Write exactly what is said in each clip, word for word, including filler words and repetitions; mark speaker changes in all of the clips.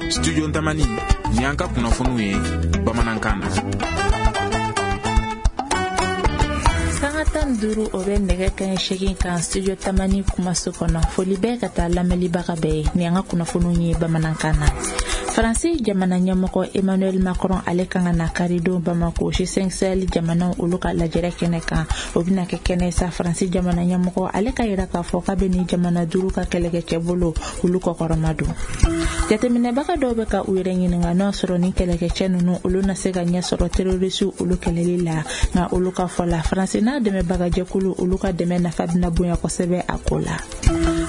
Speaker 1: Studio Tamani, ni an ka kunnafoniw ye bamanankan na.
Speaker 2: Sanga tan duuru o bɛ nɛgɛ kanɲɛ seegin kan Studio Tamani kumaso kɔnɔ. Foli bɛɛ ka taa lamɛnlibaga bɛɛ ye ni an ka kunnafoniw ye bamanankan na. Faransi jamana ɲɛmɔgɔ Emmanuel Macron ale kan ka na karidon Bamako G cinq Sahel jamanaw olu ka lajɛrɛ kɛnɛ kan. O bɛna kɛ kɛnɛ sa Faransi jamana ɲɛmɔgɔ ale ka yira k'a fɔ k'a bɛ ni jamana duuru ka kɛlɛkɛcɛ bolo olu kɔkɔrɔma don. Jateminɛbaga dɔw bɛ ka u yɛrɛ ɲininka n'o sɔrɔ ni kɛlɛkɛcɛ ninnu olu na se ka ɲɛ sɔrɔ terrorisiw olu kɛlɛli la, nka olu ka fɔ la Faransi n'a dɛmɛbagajɛkulu olu ka dɛmɛ nafa bɛna bonya kosɛbɛ a ko la.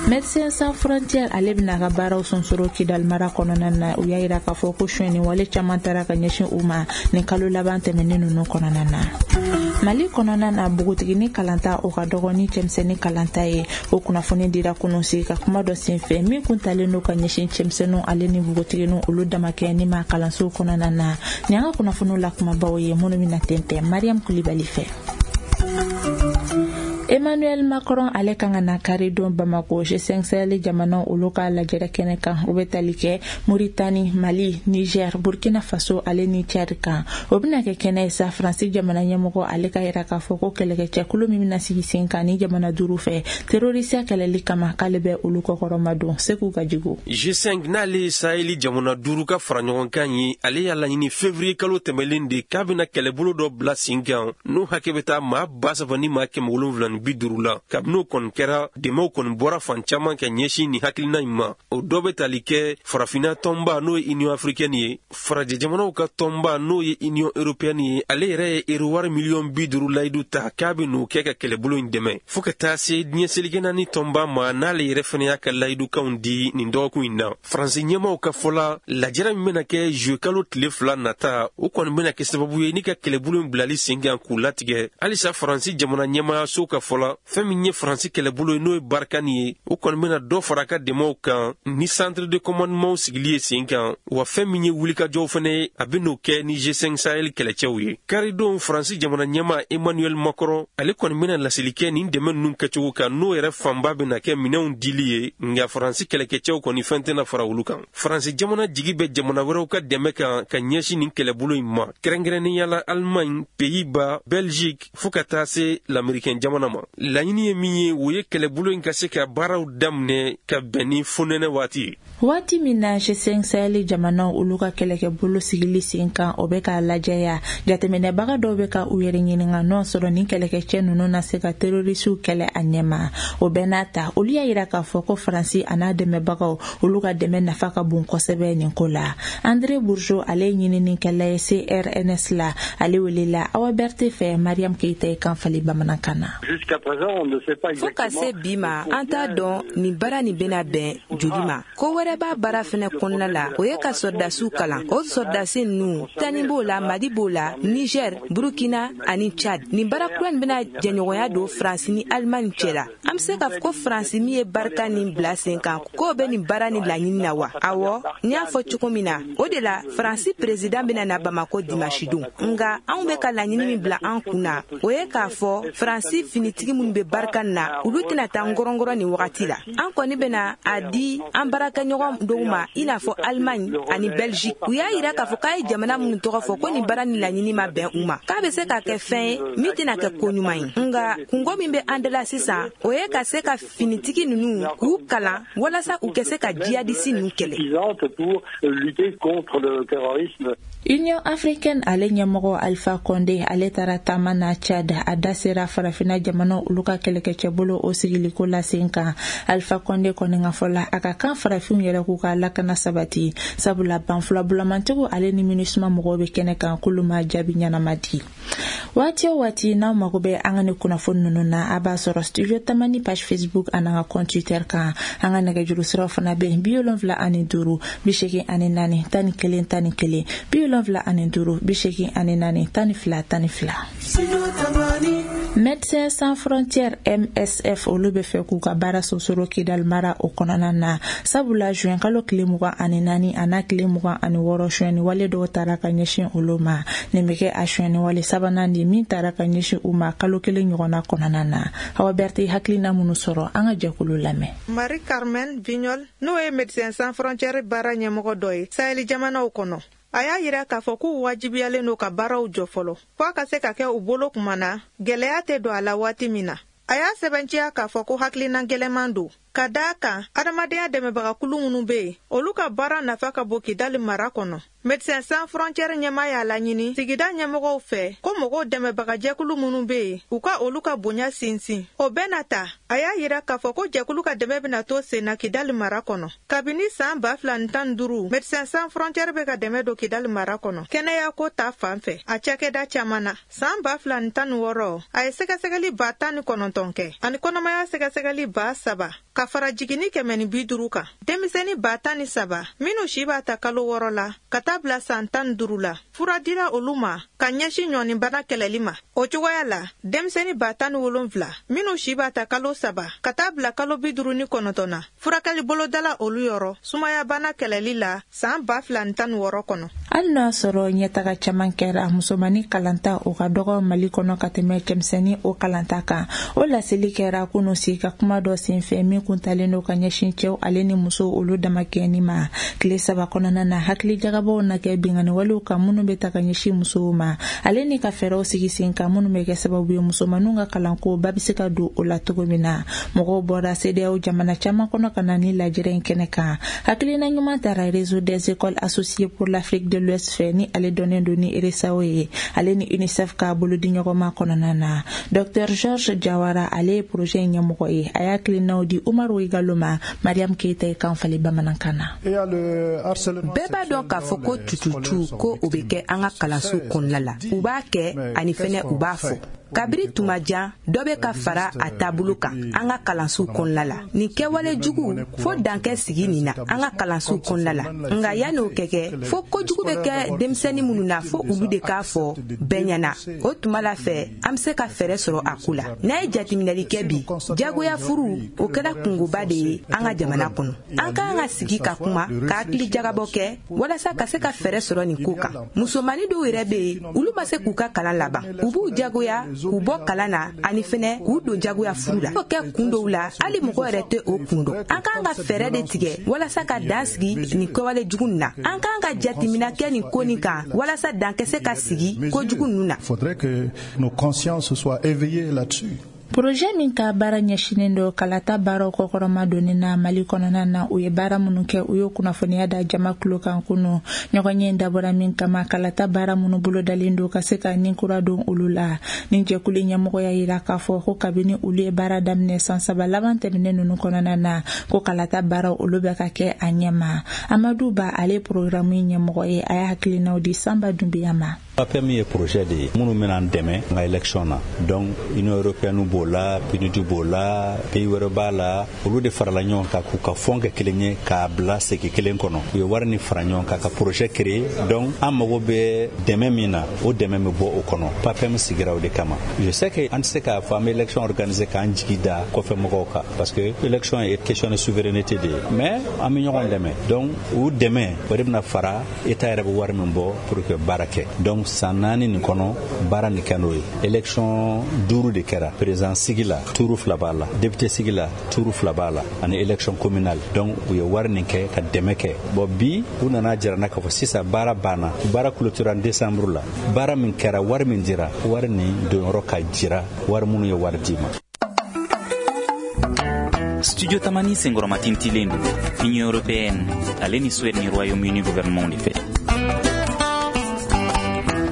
Speaker 2: Médecins Sans Frontières ale bɛna ka baaraw sonsoro Kidal mara kɔnɔna na. U y'a yira k'a fɔ ko sonyɛni wale caman taara ka ɲɛsin u ma nin kalo laban tɛmɛnen ninnu kɔnɔna na. Mali kɔnɔna na, npogotigini kalanta o ka dɔgɔ ni cɛmisɛnnin kalanta ye. O kunnafoni dira kunun sigi ka kuma dɔ senfɛ min kun talen don ka ɲɛsin cɛmisɛnninw ale ni npogotigininw olu damakɛ ni ma kalansow kɔnɔna na. Nin an ka kunnafoniw la kumabaw ye minnu bɛna tɛntɛn Mariam Kulibali fɛ. Emmanuel Macron ale kan ka na karidon Bamako G cinq Sahel jamanaw olu ka lajɛrɛ kɛnɛ kan. O bɛ tali kɛ Mauritanie, Mali, Niger, Burkina Faso ale ni Tchad kan. O bɛna kɛ kɛnɛ ye sa Faransi jamana ɲɛmɔgɔ ale ka yira k'a fɔ ko kɛlɛkɛcɛkulu min bɛna sigi sen kan ni jamana duuru fɛ terrorisiya kɛlɛli kama k'ale bɛ olu kɔkɔrɔma don. Segu ka jigo.
Speaker 3: G cinq n'ale ye Sahel jamana duuru ka fara ɲɔgɔn kan ye, ale y'a laɲini février kalo tɛmɛlen de k'a bɛna kɛlɛbolo dɔ bila sen kan n'o hakɛ bɛ taa maa ba saba ni maa kɛmɛ wolonwula bi duuru la. Kabini o kɔni kɛra, dɛmɛw kɔni bɔra fan caman ka ɲɛsin nin hakilina in ma. O dɔ bɛ tali kɛ farafinna tɔnba n'o ye Union africaine ye, farajɛ jamanaw ka tɔnba n'o ye Union européenne ye, ale yɛrɛ ye euro wari miliyɔn bi duuru layidu ta k'a bɛ n'o kɛ ka kɛlɛbolo in dɛmɛ, fo ka taa se diɲɛ seleke naani tɔnba ma n'ale yɛrɛ fana y'a ka layidukanw di nin dɔgɔkun in na. Faransi ɲɛmaaw ka fɔ la, lajɛrɛ min bɛna kɛ juillet kalo tile fila nata, o kɔni bɛna kɛ sababu ye ni ka kɛlɛbolo in bilali sen kan k'u latigɛ. Halisa Faransi jamana ɲɛmaayaso ka fɔ la, fɛn min ye Faransi kɛlɛbolo ye n'o ye Barkhane ye, o kɔni bɛna dɔ fara a ka dɛmɛw kan ni centre de commandement sigili ye sen kan, wa fɛn min ye wulikajɔw fɛnɛ ye, a bɛ n'o kɛ ni G cinq Sahel kɛlɛcɛw ye. Karidon Faransi jamana ɲɛmaa Emmanuel Macron ale kɔni bɛna laseli kɛ nin dɛmɛ ninnu kɛcogo kan, n'o yɛrɛ fanba bɛna kɛ minɛnw dili ye, nka Faransi kɛlɛkɛcɛw kɔni fɛn tɛna fara olu kan. Faransi jamana jigi bɛ jamana wɛrɛw ka dɛmɛ kan ka ɲɛsin nin kɛlɛbolo in ma, kɛrɛnkɛrɛnnenya la Allemagne, Pays-Bas, Belgique fo ka taa se l'Américain jamana ma. Laɲini ye min ye, o ye kɛlɛbolo in ka se ka baaraw daminɛ ka bɛn ni fonɛnɛ waati ye.
Speaker 2: Waati min na G cinq Sahel jamanaw olu ka kɛlɛkɛbolo sigili sen kan o bɛ k'a lajɛya, jateminɛbaga dɔw bɛ ka u yɛrɛ ɲininka n'o sɔrɔ ni kɛlɛkɛcɛ ninnu na se ka terrorisiw kɛlɛ a ɲɛma. O bɛɛ n'a ta, olu y'a yira k'a fɔ ko Faransi a n'a dɛmɛbagaw olu ka dɛmɛ nafa ka bon kosɛbɛ nin ko la. André Bourgeot ale ye ɲininikɛla ye C R N S la, ale welela Awa Berthe fɛ Mariam Keita ye kan fali bamanankan na.
Speaker 4: Fo ka se bi ma, an t'a dɔn nin baara nin bɛna bɛn joli ma. Ko wɛrɛ b'a baara fɛnɛ kɔnɔna la, o ye ka sɔrɔdasiw kalan. O sɔrɔdasi ninnu, Tani b'o la, Mali b'o la, Niger, Burkina ani Tchad. Nin baara kura nin bɛna jɛɲɔgɔnya don Faransi ni Allemagne cɛ la. An bɛ se k'a fɔ ko Faransi min ye barika nin bila sen kan, k'o bɛ nin baara nin laɲini na wa? Awɔ, n y'a fɔ cogo min na, o de la Faransi président bɛna na Bamako dimanche don. Nka anw bɛ ka laɲini min bila an kun na, o ye k'a fɔ Faransi finitigi minnu bɛ barika na, olu tɛna taa ngɔrɔngɔrɔ nin wagati la. An kɔni bɛna a di an baarakɛɲɔgɔn dɔw ma, i n'a fɔ Allemagne ani Belgique. U y'a yira k'a fɔ k'a ye jamana minnu tɔgɔ fɔ ko nin baara ni laɲini ma bɛn u ma, k'a bɛ se ka kɛ fɛn ye min tɛna kɛ ko ɲuman ye. Nka kungo min bɛ an da la sisan, o ye ka se ka finitigi ninnu k'u kalan walasa u ka se ka jihadisi ninnu kɛlɛ.
Speaker 2: Union africaine ale ɲɛmɔgɔ Alpha Condé ale taara taama na Tchad. A da sera farafinna jamanaw olu ka kɛlɛkɛcɛbolo o sigiliko la sen kan. Alpha Condé kɔni ka fɔ la, a ka kan farafinw yɛrɛ k'u ka lakana sabati, sabula banfulabulamantigiw ale ni MINUSMA mɔgɔw bɛ kɛnɛ kan k'olu ma jaabi ɲɛnama di. Waati o waati n'aw mago bɛ an ka ni kunnafoni ninnu na, a b'a sɔrɔ Studio Tamani page Facebook ani an ka compte Twitter kan. An ka nɛgɛjuru siraw fana bɛ yen: bi wolonwula ani duuru bi seegin ani naani tan ni kelen tan ni kelen, bi wolonwula ani duuru bi seegin ani naani tan ni fila tan ni fila. Médecins Sans Frontières M S F olu bɛ fɛ k'u ka baara sonsoro Kidal mara o kɔnɔna na, sabula juin kalo tile mugan ani naani a n'a tile mugan ani wɔɔrɔ sonyɛni wale dɔw taara ka ɲɛsin olu ma. Nin bɛ kɛ a sonyɛni wale saba sabanan de min taara ka ɲɛsin u ma kalo kelen ɲɔgɔnna kɔnɔna na. Hawa Berthe hakilina minnu sɔrɔ, an ka jɛkulu lamɛn.
Speaker 5: Marie Carmen Vignol, n'o ye Médecins Sans Frontières baara ɲɛmɔgɔ dɔ ye Sahel jamanaw kɔnɔ, a y'a yira k'a fɔ k'u wajibiyalen don ka baaraw jɔ fɔlɔ fo a ka se ka kɛ u bolo kuma na gɛlɛya tɛ don a la waati min na. A y'a sɛbɛntiya k'a fɔ ko hakilina gɛlɛman don, ka da a kan adamadenya dɛmɛbagakulu minnu bɛ yen, olu ka baara nafa ka bon Kidali mara kɔnɔ. Médecins Sans Frontières ɲɛmaa y'a laɲini sigida ɲɛmɔgɔw fɛ ko mɔgɔw dɛmɛbagajɛkulu minnu bɛ yen, u ka olu ka bonya sinsin. O bɛɛ na ta, a y'a yira k'a fɔ ko jɛkulu ka dɛmɛ bɛna to sen na Kidali mara kɔnɔ. Kabini san ba fila ni tan ni duuru, Médecins Sans Frontières bɛ ka dɛmɛ don Kidali mara kɔnɔ kɛnɛyako ta fan fɛ a cakɛda caman na. San ba fila ni tan ni wɔɔrɔ, a ye sɛgɛsɛgɛli ba tan ni kɔnɔntɔn kɛ ani kɔnɔmaya sɛgɛsɛgɛli ba saba ka fara jiginni kɛmɛ ni bi duuru kan. Denmisɛnnin ba tan ni saba minnu si b'a ta kalo wɔɔrɔ la ka taa bila san tan ni duuru la, fura dira olu ma ka ɲɛsin ɲɔnibana kɛlɛli ma. O cogoya la, denmisɛnnin ba tan ni wolonfila minnu si b'a ta kalo saba ka taa bila kalo bi duuru ni kɔnɔntɔn na, furakɛli bolodala olu yɔrɔ sumayabana kɛlɛli la san ba fila ni tan ni wɔɔrɔ kɔnɔ.
Speaker 2: Hali n'a sɔrɔ ɲɛtaga caman kɛra, musomannin kalanta o ka dɔgɔ Mali kɔnɔ ka tɛmɛ cɛmisɛnnin o kalanta kan. O laseli kɛra kunun sigi ka kuma dɔ senfɛ min kuntalen don ka ɲɛsin cɛw ale ni musow olu damakɛɲɛni ma. Tile saba kɔnɔna na, hakilijagabɔw na kɛ binkanniwalew kan minnu bɛ ta ka ɲɛsin musow ma, ale ni ka fɛɛrɛw sigi sen kan minnu bɛ kɛ sababu ye musomaninw ka kalanko ba bɛ se ka don o la cogo min na. Mɔgɔw bɔra CEDEAO jamana caman kɔnɔ ka na ni lajɛrɛ in kɛnɛ kan. Hakilina ɲuman taara Réseau des écoles associées pour l'Afrique de l'Ouest fɛ, ni ale dɔnnen don ni RESAO ye, ale ni UNICEF ka bolodiɲɔgɔnma kɔnɔna na. Docteur Georges Jawara, ale ye projet in ɲɛmɔgɔ ye, a y'a hakilinaw di Umaru Igalo ma, Mariam Keita ye kan falen bamanankan na.
Speaker 4: Bɛɛ b'a dɔn k'a fɔ ko tututu ko o bɛ kɛ an ka kalanso kɔnɔna la. U b'a kɛ ani fɛnɛ u b'a fɔ. Kabiri tuma jan, dɔ bɛ ka fara a taabolo kan an ka kalansow kɔnɔna la. Nin kɛwale jugu fo dankɛ sigi nin na an ka kalansow kɔnɔna la. Nka yanni o kɛ kɛ, fo kojugu bɛ kɛ denmisɛnnin minnu na, fo olu de k'a fɔ bɛɛ ɲɛna. O tuma la fɛ, an bɛ se ka fɛɛrɛ sɔrɔ a ko la. N'a ye jateminɛli kɛ bi, jagoya furu o kɛra kungoba de ye an ka jamana kɔnɔ. An ka kan ka sigi ka kuma, ka hakili jagabɔ kɛ walasa ka se ka fɛɛrɛ sɔrɔ nin ko kan. Musomanin dɔw yɛrɛ bɛ yen, olu ma se k'u ka kalan laban. U b'u jagoya k'u bɔ kalan na ani fɛnɛ k'u don jagoya furu la. O kɛ kun dɔw la, hali mɔgɔ yɛrɛ tɛ o kun dɔn. An k'an ka fɛɛrɛ de tigɛ walasa ka dan sigi nin kɛwale jugu nin na. An k'an ka jateminɛ kɛ nin ko nin kan walasa dan ka se ka sigi kojugu ninnu na.
Speaker 6: Faudrait que nos consciences soient éveillées là-dessus.
Speaker 2: Projet min ka baara ɲɛsinnen don kalata baaraw kɔkɔrɔma donni na Mali kɔnɔna na, u ye baara minnu kɛ, u y'o kunnafoniya da jama kulo kan kunu. Ɲɔgɔnye dabɔra min kama, kalata baara minnu bolodalen don ka se ka nin kura don olu la. Ni jɛkulu ɲɛmɔgɔ y'a yira k'a fɔ ko kabini olu ye baara daminɛ san saba laban tɛmɛnen ninnu kɔnɔna na, ko kalata baaraw olu bɛ ka kɛ a ɲɛma. Amadu Ba, ale programme ɲɛmɔgɔ ye, a y'a hakilinaw di Sanba Dunbiya ma.
Speaker 7: PAPEM ye projet de ye minnu bɛna an dɛmɛ n ka élection na. Donc Union européenne b'o la, PNUD b'o la, pays wɛrɛ b'a la, olu de farala ɲɔgɔn kan k'u ka fond kɛ kelen ye k'a bila segi kelen kɔnɔ. U ye wari ni fara ɲɔgɔn kan ka projet créer. Donc an mago bɛ dɛmɛ min na, o dɛmɛ bɛ bɔ o kɔnɔ. PAPEM sigira o de kama. Je sais que an tɛ se k'a fɔ an bɛ élection organiser k'an jigi da kɔfɛ mɔgɔw kan, parce que élection ye question de souveraineté de ye, mais an bɛ ɲɔgɔn dɛmɛ. Donc o dɛmɛ o de bɛna fara État yɛrɛ bɛ wari min bɔ pour que baara kɛ. Donc san naani nin kɔnɔ, baara nin kɛ n'o ye. Élection duuru de kɛra: président sigi la tuuru fila b'a la, député sigi la tuuru fila b'a la, ani élection communale. Donc u ye wari nin kɛ ka dɛmɛ kɛ. Bon, bi u nana jira n na k'a fɔ sisan baara banna, baara clôture en décembre la. Baara min kɛra, wari min dira, wari nin donyɔrɔ ka jira wari minnu ye wari d'i ma.
Speaker 8: Studio Tamani senkɔrɔmatintilen don Union européenne ale ni Suède ni Royaume-Uni gouvernement de fɛ.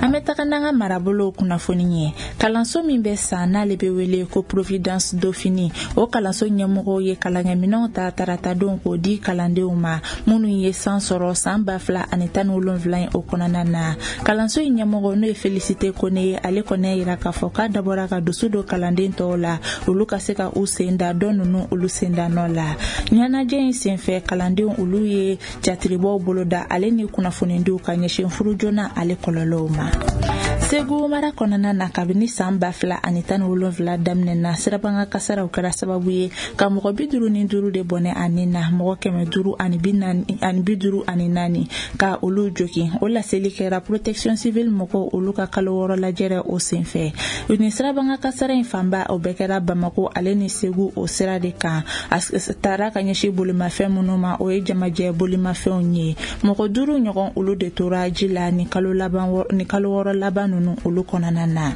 Speaker 2: An bɛ taga n'an ka marabolow kunnafoni ye. Kalanso min bɛ san n'ale bɛ wele ko Providence Dauphine, o kalanso ɲɛmɔgɔw ye kalankɛminɛnw ta taratadon k'o di kalandenw ma minnu ye san sɔrɔ san ba fila ani tan ni wolonwula in o kɔnɔna na. Kalanso in ɲɛmɔgɔ, n'o ye Félicité Kone ye, ale kɔni y'a yira k'a fɔ k'a dabɔra ka dusu don kalanden tɔw la, olu ka se ka u sen da dɔ ninnu olu sen da nɔ la. Ɲɛnajɛ in senfɛ, kalandenw olu ye jatiribɔw boloda ale ni kunnafonidiw ka ɲɛsin furu joona ale kɔlɔlɔw ma. Segu mara kɔnɔna na, kabini san ba fila ani tan ni wolonfila daminɛ na, sirabanga kasaraw kɛra sababu ye ka mɔgɔ bi duuru ni duuru de bɔnɛ a ni na, mɔgɔ kɛmɛ duuru ani bi naani ani bi duuru ani naani ka olu jogin. O laseli kɛra Protection civile mɔgɔw olu ka kalo wɔɔrɔ lajɛrɛ o senfɛ. Nin sirabanga kasara in fanba, o bɛɛ kɛra Bamako ale ni Segu o sira de kan. A taara ka ɲɛsin bolimafɛn minnu ma, o ye jamajɛ bolimafɛnw ye. Mɔgɔ duuru ɲɔgɔn, olu de tora ji la ni kalo laban ni kalo wɔɔrɔ laban ninnu olu kɔnɔna na.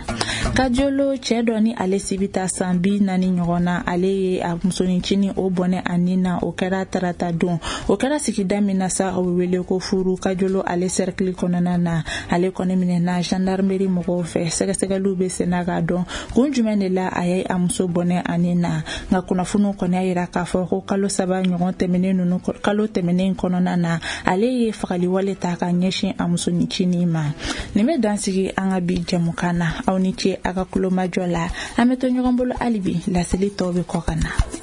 Speaker 2: Kajolo, cɛɛ dɔ ni ale si bɛ taa san bi naani ɲɔgɔn na, ale ye a musonincinin o bɔnɛ a nin na. O kɛra tarata don. O kɛra sigida min na sa, o bɛ wele ko Furu, Kajolo ale cercle kɔnɔna na. Ale kɔni minɛna gendarmerie mɔgɔw fɛ. Sɛgɛsɛgɛliw bɛ senna k'a dɔn kun jumɛn de la a ye a muso bɔnɛ a nin na. Nka kunnafoniw kɔni y'a yira k'a fɔ ko kalo saba ɲɔgɔn tɛmɛnen ninnu, kalo tɛmɛnen kɔnɔna na, ale ye fagaliwale ta ka ɲɛsin a musonincinin ma. Nin bɛ dan sigi an ka bi jɛmukan na. Aw ni ce a ka kulomajɔ la. An bɛ to ɲɔgɔn bolo hali bi, laseli tɔw bɛ kɔ ka na.